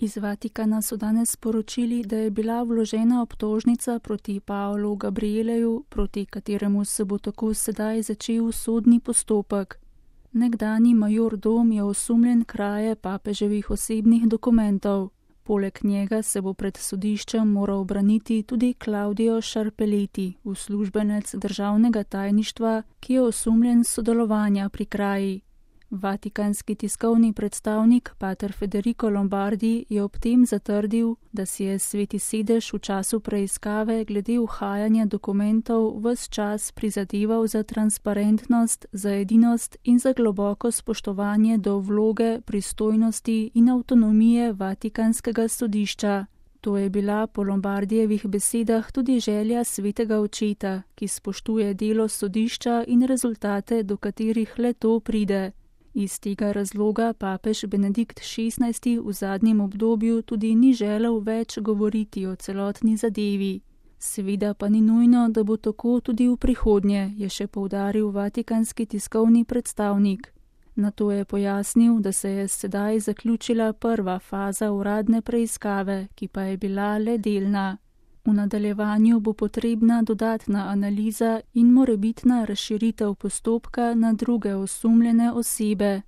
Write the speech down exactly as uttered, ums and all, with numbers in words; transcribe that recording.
Iz Vatikana so danes sporočili, da je bila vložena obtožnica proti Paolu Gabrieleju, proti kateremu se bo tako sedaj začel sodni postopek. Nekdanji major Dom je osumljen kraje papeževih osebnih dokumentov. Poleg njega se bo pred sodiščem moral braniti tudi Claudio Scarpelletti, uslužbenec državnega tajništva, ki je osumljen sodelovanja pri kraji. Vatikanski tiskovni predstavnik pater Federico Lombardi je ob tem zatrdil, da si je Sveti sedež v času preiskave glede uhajanja dokumentov ves čas prizadeval za transparentnost, za edinost in za globoko spoštovanje do vloge, pristojnosti in avtonomije Vatikanskega sodišča. To je bila po Lombardijevih besedah tudi želja svetega očeta, ki spoštuje delo sodišča in rezultate, do katerih le to pride. Iz tega razloga papež Benedikt šestnajsti v zadnjem obdobju tudi ni želel več govoriti o celotni zadevi. Seveda pa ni nujno, da bo tako tudi v prihodnje, je še poudaril vatikanski tiskovni predstavnik. Nato je pojasnil, da se je sedaj zaključila prva faza uradne preiskave, ki pa je bila le delna. V nadaljevanju bo potrebna dodatna analiza in morebitna razširitev postopka na druge osumljene osebe.